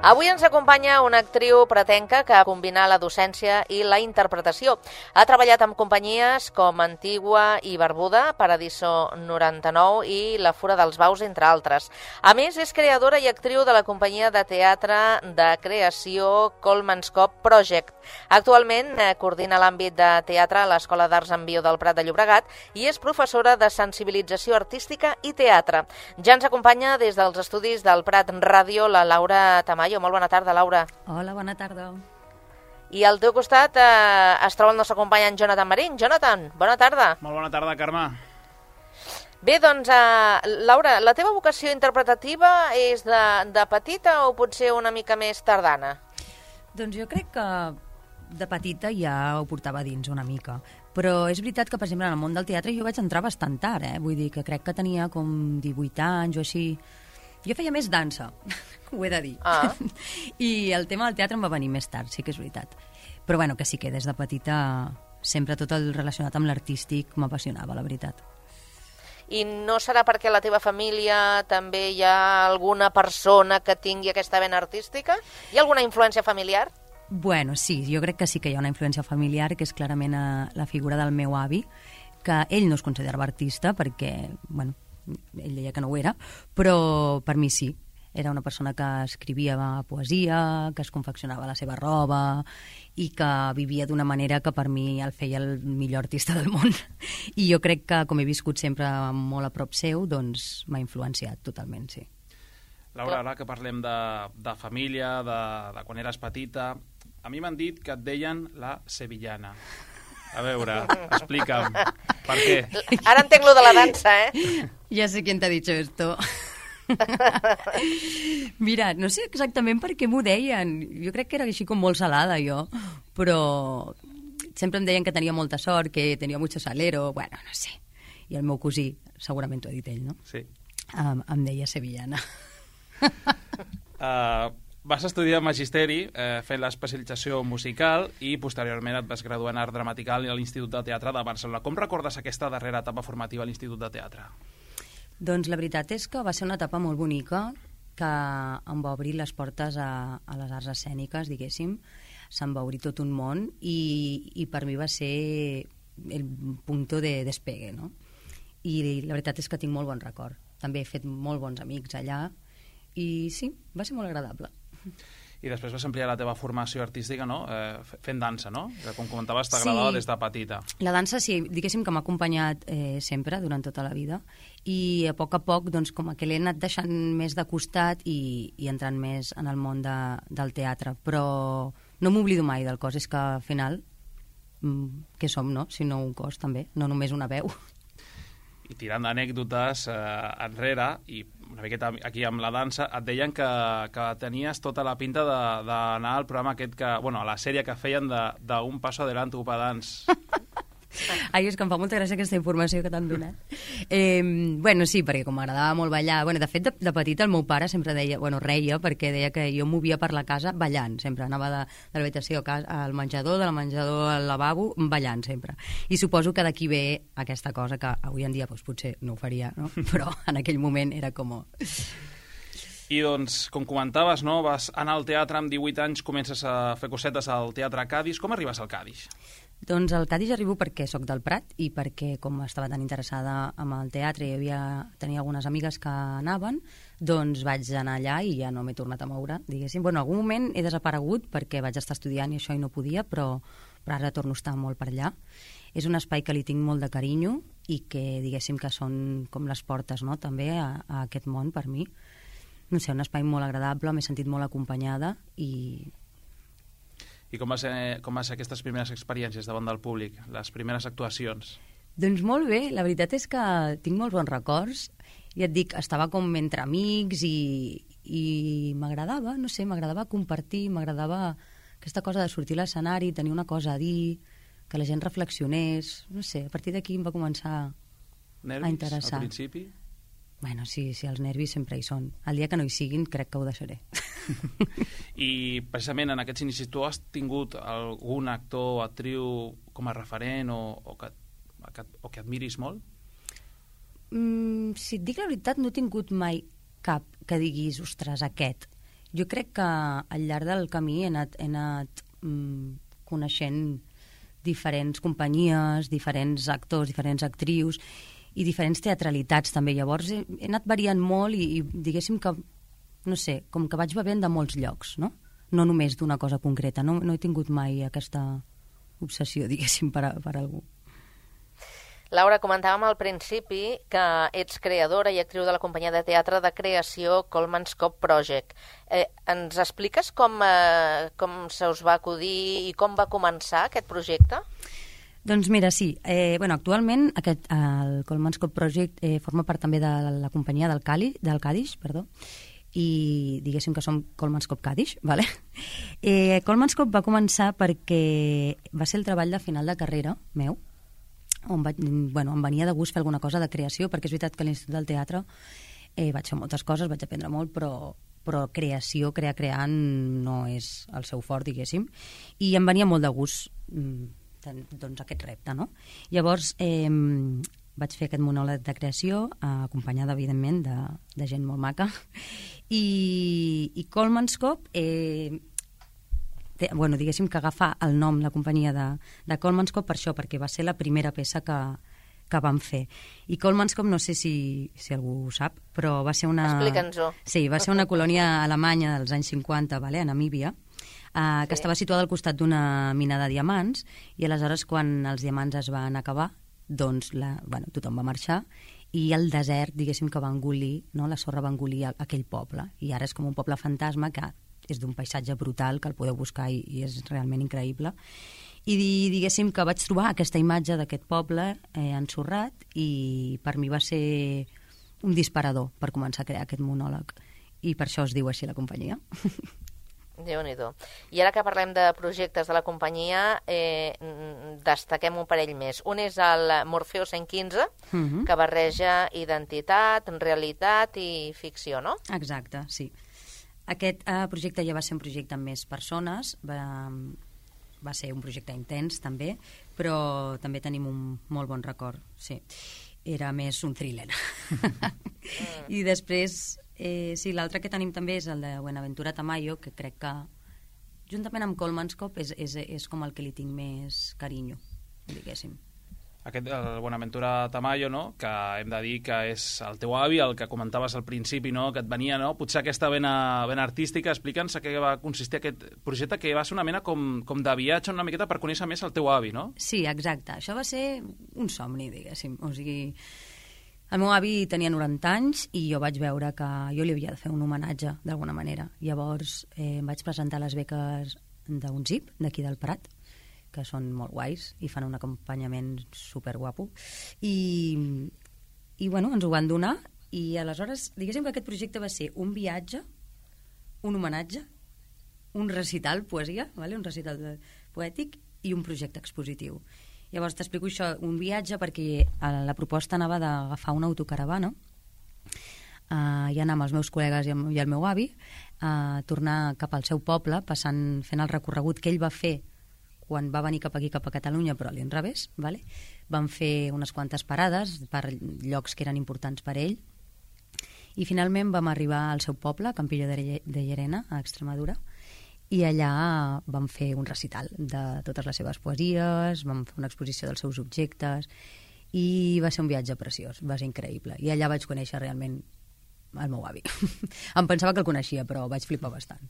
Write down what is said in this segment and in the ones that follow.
Avui ens acompanya una actriu pretenca que combina la docència i la interpretació. Ha treballat amb companyies com Antigua i Barbuda, Paradiso 99 i La Fura dels Baus, entre altres. A més, és creadora i actriu de la companyia de teatre de creació Coleman's Cove Project. Actualment coordina l'àmbit de teatre a l'Escola d'Arts en Bio del Prat de Llobregat i és professora de sensibilització artística i teatre. Ja ens acompanya des dels estudis del Prat Ràdio la Laura Tamayo. Molt bona tarda, Laura. Hola, bona tarda. I al teu costat es troba el nostre company en Jonathan Marín. Jonathan, bona tarda. Molt bona tarda, Carme. Bé, doncs, Laura, la teva vocació interpretativa és de petita o potser una mica més tardana? Doncs jo crec que de petita ja ho portava dins una mica. Però és veritat que, per exemple, en el món del teatre jo vaig entrar bastant tard, Vull dir que crec que tenia com 18 anys o així. Jo feia més dansa, ho he de dir. I el tema del teatre em va venir més tard, sí que és veritat. Però bueno, que sí que des de petita sempre tot el relacionat amb l'artístic m'apassionava, la veritat. I no serà perquè a la teva família també hi ha alguna persona que tingui aquesta vena artística? Hi ha alguna influència familiar? Bueno, sí, jo crec que sí que hi ha una influència familiar, que és clarament la figura del meu avi, que ell no es considerava artista perquè, bueno, ell deia que no ho era, però per mi sí. Era una persona que escrivia poesia, que es confeccionava la seva roba i que vivia d'una manera que per mi el feia el millor artista del món. I jo crec que, com he viscut sempre molt a prop seu, doncs m'ha influenciat totalment, sí. Laura, ara que parlem de família, de quan eres petita, a mi m'han dit que et deien la sevillana. A veure, explica'm, per què? Ara entenc lo de la dansa, Ya sé quién te ha dicho esto. Mira, no sé exactament per què m'ho deien. Jo crec que era així com molt salada, jo. Però sempre em deien que tenia molta sort, que tenia mucho salero, bueno, no sé. I el meu cosí, segurament t'ho ha dit ell, no? Sí. Em deia sevillana. Vas estudiar Magisteri fent l'especialització musical i posteriorment et vas graduar en Art Dramatical a l'Institut de Teatre de Barcelona. Com recordes aquesta darrera etapa formativa a l'Institut de Teatre? Doncs la veritat és que va ser una etapa molt bonica que em va obrir les portes a les arts escèniques, diguéssim. Se'm va obrir tot un món i per mi va ser el punto de despegue, no? I la veritat és que tinc molt bon record. També he fet molt bons amics allà i sí, va ser molt agradable. I després vas ampliar la teva formació artística, no? Fent dansa, no? Que, com comentaves, t'agradava des de petita. La dansa, sí, diguéssim que m'ha acompanyat sempre, durant tota la vida, i a poc, doncs, com que l'he anat deixant més de costat i entrant més en el món del teatre. Però no m'oblido mai del cos, és que al final, què som, no? Si no un cos, també, no només una veu. I tirant d'anècdotes enrere, i una miqueta aquí amb la dansa, et deien que tenies tota la pinta d'anar al programa aquest a la sèrie que feien d'Un Paso Adelante, Upa Dance. Ai, és que em fa molta gràcia aquesta informació que t'han donat. Bueno, sí, perquè com m'agradava molt ballar... Bueno, de fet, de petita el meu pare sempre deia... Bueno, reia perquè deia que jo movia per la casa ballant, sempre. Anava de l'habitació al menjador, de la menjador al lavabo, ballant sempre. I suposo que d'aquí ve aquesta cosa que avui en dia doncs, potser no ho faria, no? Però en aquell moment era com... I doncs, com comentaves, no? Vas anar al teatre amb 18 anys, comences a fer cosetes al Teatre Cadis. Com arribes al Cadis? Doncs al Cadis arribo perquè sóc del Prat i perquè, com estava tan interessada en el teatre i tenia algunes amigues que anaven, doncs vaig anar allà i ja no m'he tornat a moure, diguéssim. Bueno, en algun moment he desaparegut perquè vaig estar estudiant i això i no podia, però ara torno a estar molt per allà. És un espai que li tinc molt de carinyo i que, diguéssim, que són com les portes, no?, també a aquest món per mi. No sé, un espai molt agradable, m'he sentit molt acompanyada i... I com va ser aquestes primeres experiències davant del públic, les primeres actuacions? Doncs molt bé, la veritat és que tinc molts bons records. Ja et dic, estava com entre amics i m'agradava, no sé, m'agradava compartir, m'agradava aquesta cosa de sortir a l'escenari, tenir una cosa a dir, que la gent reflexionés, no sé, a partir d'aquí em va començar a interessar. Nervis, al principi? Bueno, sí, els nervis sempre hi són. El dia que no hi siguin, crec que ho deixaré. I precisament en aquests inicis tu has tingut algun actor o actriu com a referent o que admiris molt? Si et dic la veritat, no he tingut mai cap que diguis, ostres, aquest. Jo crec que al llarg del camí he anat coneixent diferents companyies, diferents actors, diferents actrius i diferents teatralitats també. Llavors he anat variant molt i diguéssim que, no sé, com que vaig bevent de molts llocs, no? No només d'una cosa concreta. No he tingut mai aquesta obsessió, diguéssim, per algú. Laura, comentàvem al principi que ets creadora i actriu de la companyia de teatre de creació Coleman's Cop Project. Ens expliques com se us va acudir i com va començar aquest projecte? Doncs mira, sí. Actualment el Coleman's Cop Project forma part també de la companyia del Cadix, i diguéssim que som Coleman's Cop Cadix, ¿vale? Coleman's Cop va començar perquè va ser el treball de final de carrera meu, on em venia de gust fer alguna cosa de creació, perquè és veritat que a l'Institut del Teatre vaig fer moltes coses, vaig aprendre molt, però creació, creant no és el seu fort, diguéssim, i em venia molt de gust doncs aquest repte, no? Llavors vaig fer aquest monòleg de creació, acompanyada, evidentment, de gent molt maca, i Coleman's Cop diguéssim que agafar el nom, la companyia de Coleman's Cop per això, perquè va ser la primera peça que vam fer. I Coleman's Cop, no sé si algú ho sap, però va ser una... Explica'ns-ho. Sí, va ser una colònia alemanya dels anys 50, a Namíbia, que estava situada al costat d'una mina de diamants, i aleshores quan els diamants es van acabar, doncs tothom va marxar, i el desert, diguéssim, que va engolir, no? La sorra va engolir aquell poble, i ara és com un poble fantasma que és d'un paisatge brutal, que el podeu buscar i és realment increïble. I diguéssim que vaig trobar aquesta imatge d'aquest poble ensorrat i per mi va ser un disparador per començar a crear aquest monòleg. I per això es diu així la companyia. Déu-n'hi-do. I ara que parlem de projectes de la companyia, destaquem un parell més. Un és el Morfeo 115, que barreja identitat, realitat i ficció, no? Exacte, sí. Aquest projecte ja va ser un projecte amb més persones, va ser un projecte intens també, però també tenim un molt bon record, sí. Era més un thriller. I després, sí, l'altre que tenim també és el de Buenaventura Tamayo, que crec que, juntament amb Coleman's Cop, és com el que li tinc més carinyo, diguéssim. Aquest, el Buenaventura Tamayo, no? Que hem de dir que és el teu avi, el que comentaves al principi, no? Que et venia, no? Potser aquesta vena artística. Explica'ns a què va consistir aquest projecte, que va ser una mena com de viatge una miqueta per conèixer més el teu avi, no? Sí, exacte. Això va ser un somni, diguéssim. O sigui, el meu avi tenia 90 anys i jo vaig veure que jo li havia de fer un homenatge d'alguna manera. Llavors em vaig presentar a les beques d'un ZIP, d'aquí del Prat, que són molt guais i fan un acompanyament superguapo. I ens ho van donar i aleshores, diguéssim que aquest projecte va ser un viatge, un homenatge, un recital, poesia, un recital poètic i un projecte expositiu. Llavors t'explico això, un viatge perquè la proposta anava d'agafar una autocaravana i anar amb els meus col·legues i el meu avi a tornar cap al seu poble, fent el recorregut que ell va fer quan va venir cap aquí, cap a Catalunya, però a l'inrevés, vale? Van fer unes quantes parades per llocs que eren importants per ell, i finalment vam arribar al seu poble, Campillo de Llerena, a Extremadura, i allà vam fer un recital de totes les seves poesies, vam fer una exposició dels seus objectes, i va ser un viatge preciós, va ser increïble. I allà vaig conèixer realment el meu avi. Em pensava que el coneixia, però vaig flipar bastant.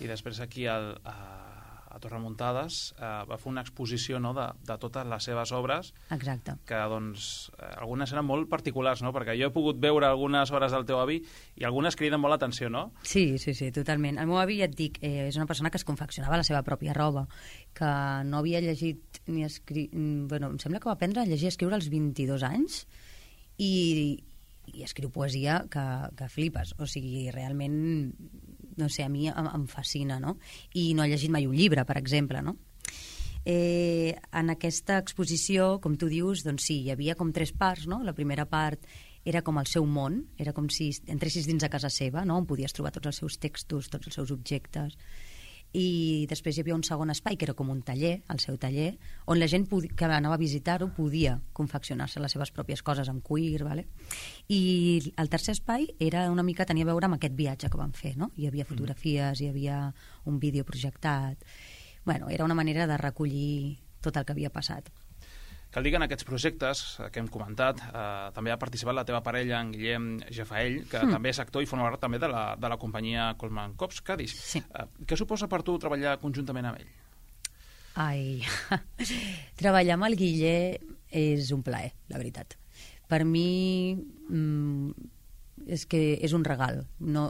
I després aquí a Torremuntades va fer una exposició, no, de totes les seves obres. Exacte. Que doncs algunes eren molt particulars, no? Perquè jo he pogut veure algunes obres del teu avi i algunes criden molt l'atenció, no? Sí, totalment. El meu avi, ja et dic, és una persona que es confeccionava la seva pròpia roba, que no havia llegit ni escrit... Bueno, em sembla que va aprendre a llegir i escriure als 22 anys i escriu poesia que flipes. O sigui, realment... no sé, a mi em fascina, no? I no he llegit mai un llibre, per exemple, no? En aquesta exposició, com tu dius, doncs sí, hi havia com 3 parts, no? La primera part era com el seu món, era com si entressis dins a casa seva, no? On podies trobar tots els seus textos, tots els seus objectes. i després hi havia un segon espai que era com un taller, el seu taller, on la gent que anava a visitar-ho podia confeccionar-se les seves pròpies coses amb cuir, vale? I el tercer espai era una mica, tenia a veure amb aquest viatge que vam fer, no? Hi havia fotografies, hi havia un vídeo projectat. Bueno, era una manera de recollir tot el que havia passat. Cal dir que en aquests projectes que hem comentat també ha participat la teva parella, en Guillem Jafaell, que també és actor i forma part també de la companyia Coleman Cops Cadis. Sí. Què suposa per tu treballar conjuntament amb ell? Ai, treballar amb el Guille és un plaer, la veritat. Per mi és que és un regal. No,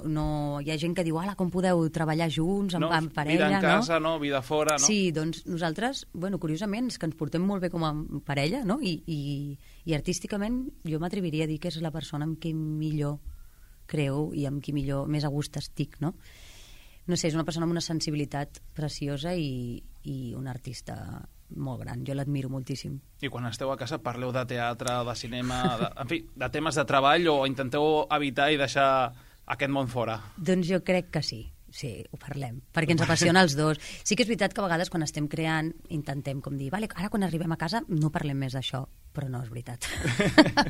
hi ha gent que diu, ala, com podeu treballar junts, amb parella, vida en casa, no? Vida fora, no? Sí, doncs nosaltres, bueno, curiosament, és que ens portem molt bé com a parella, no? I artísticament jo m'atreviria a dir que és la persona amb qui millor creu i amb qui millor, més a gust estic, no? No sé, és una persona amb una sensibilitat preciosa i un artista molt gran, jo l'admiro moltíssim. I quan esteu a casa parleu de teatre, de cinema, en fi, de temes de treball o intenteu evitar i deixar aquest món fora? Doncs jo crec que sí, ho parlem, perquè ens apassiona els dos. Sí que és veritat que a vegades quan estem creant intentem com dir, vale, ara quan arribem a casa no parlem més d'això, però no és veritat.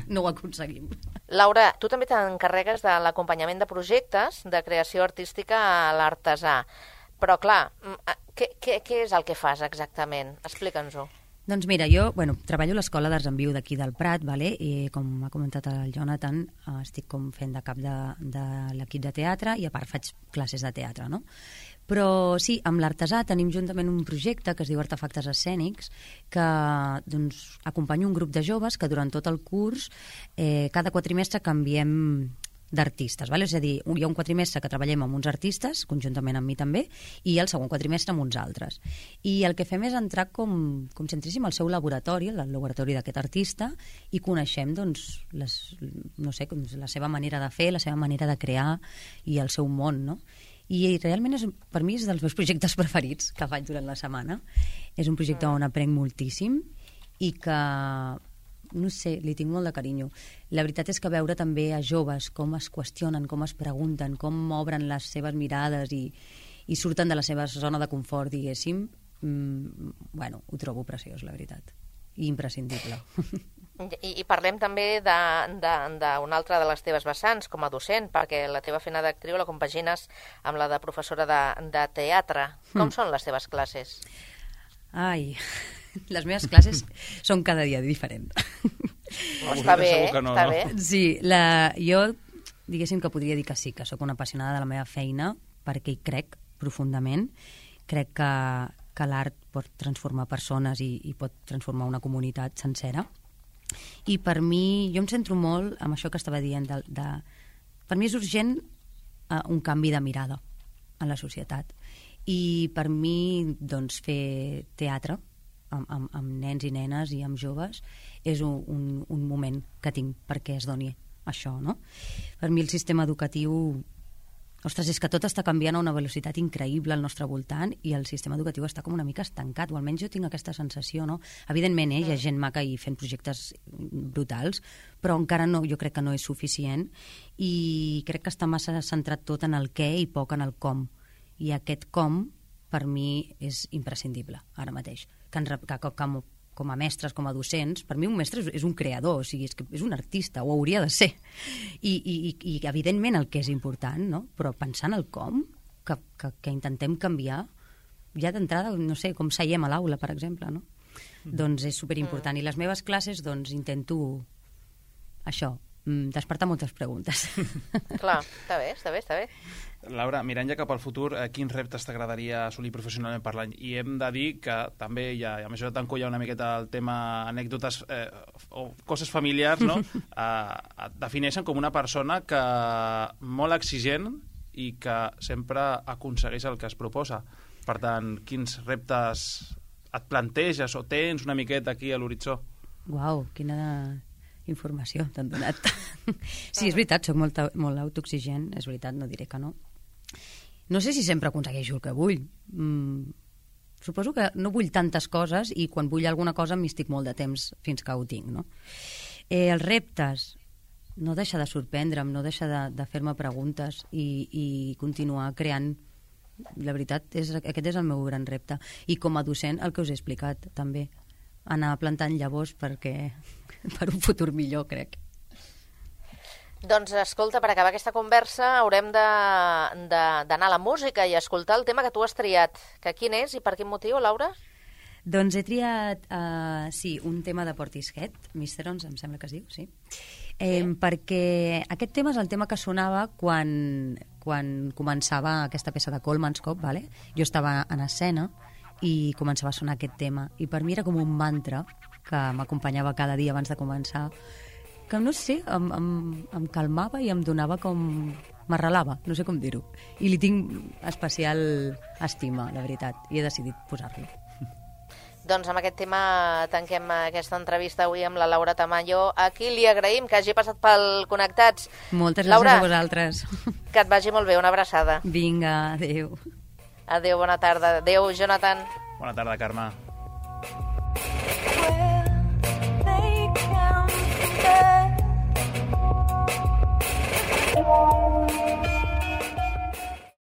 No ho aconseguim. Laura, tu també t'encarregues de l'acompanyament de projectes de creació artística a l'artesà. Però, clar, què és el que fas exactament? Explica'ns-ho. Doncs mira, jo treballo a l'Escola d'Arts en Viu d'aquí del Prat, vale? I com ha comentat el Jonathan, estic com fent de cap de l'equip de teatre i a part faig classes de teatre, no? Però sí, amb l'artesà tenim juntament un projecte que es diu Artefactes Escènics, que doncs, acompanyo un grup de joves que durant tot el curs, cada quatrimestre canviem d'artistes, vale? És a dir, hi ha un quatrimestre que treballem amb uns artistes, conjuntament amb mi també, i el segon quatrimestre amb uns altres. I el que fem és entrar com si entréssim al seu laboratori, el laboratori d'aquest artista, i coneixem doncs, la seva manera de fer, la seva manera de crear i el seu món, no? I realment per mi és dels meus projectes preferits que faig durant la setmana. És un projecte on aprenc moltíssim i que no sé, li tinc molt de carinyo. La veritat és que veure també a joves com es qüestionen, com es pregunten, com obren les seves mirades i surten de la seva zona de confort, diguéssim, ho trobo preciós, la veritat. I imprescindible. I parlem també d'una altra de les teves vessants com a docent, perquè la teva feina d'actriu la compagines amb la de professora de teatre. Com són les teves classes? Ai, les meves classes són cada dia diferent. Està bé, està bé. Sí, jo diguéssim que podria dir que sí, que sóc una apassionada de la meva feina perquè hi crec profundament. Crec que l'art pot transformar persones i pot transformar una comunitat sencera. I per mi, jo em centro molt amb això que estava dient. Per mi és urgent un canvi de mirada en la societat. I per mi, doncs, fer teatre amb nens i nenes i amb joves és un moment que tinc perquè es doni això, no? Per mi el sistema educatiu, ostres, és que tot està canviant a una velocitat increïble al nostre voltant i el sistema educatiu està com una mica estancat, o almenys jo tinc aquesta sensació, no? Evidentment, hi ha gent maca i fent projectes brutals, però encara no, jo crec que no és suficient i crec que està massa centrat tot en el què i poc en el com. I aquest com, per mi, és imprescindible, ara mateix. Que com a mestres, com a docents, per mi un mestre és un creador, o sigui, és un artista, ho hauria de ser. I evidentment el que és important, no? Però pensant el com, que intentem canviar, ja d'entrada, no sé, com seiem a l'aula, per exemple, no? Doncs és superimportant. I les meves classes, doncs, intento això, despertar moltes preguntes. Clar, està bé. Laura, mirant ja cap al futur, quins reptes t'agradaria assolir professionalment parlant? I hem de dir que també, ja a mesura tanco ja una miqueta el tema anècdotes o coses familiars, no? Et defineixen com una persona que molt exigent i que sempre aconsegueix el que es proposa. Per tant, quins reptes et planteges o tens una miqueta aquí a l'horitzó? Uau, quina informació t'han donat. Sí, és veritat, soc molt autoexigent, és veritat, no diré que no. No sé si sempre aconsegueixo el que vull. Suposo que no vull tantes coses i quan vull alguna cosa m'hi estic molt de temps fins que ho tinc, no? Els reptes, no deixa de sorprendre'm, no deixa de fer-me preguntes i continuar creant La veritat, aquest és el meu gran repte. I com a docent, el que us he explicat, també. Anar plantant llavors per un futur millor, crec. Doncs escolta, per acabar aquesta conversa haurem d'anar a la música i escoltar el tema que tu has triat. Que quin és i per quin motiu, Laura? Doncs he triat, un tema de Portishead, Misterons, em sembla que es diu, sí. Perquè aquest tema és el tema que sonava quan començava aquesta peça de Coleman's Cop, vale? Jo estava en escena i començava a sonar aquest tema. I per mi era com un mantra que m'acompanyava cada dia abans de començar, que no sé, em calmava i em donava com... m'arrelava, no sé com dir-ho. I li tinc especial estima, la veritat, i he decidit posar-lo. Doncs amb aquest tema tanquem aquesta entrevista avui amb la Laura Tamayo, a qui li agraïm que hagi passat pel Connectats. Moltes gràcies Laura, a vosaltres. Que et vagi molt bé, una abraçada. Vinga, adéu. Adéu, bona tarda. Adéu, Jonathan. Bona tarda, Carme.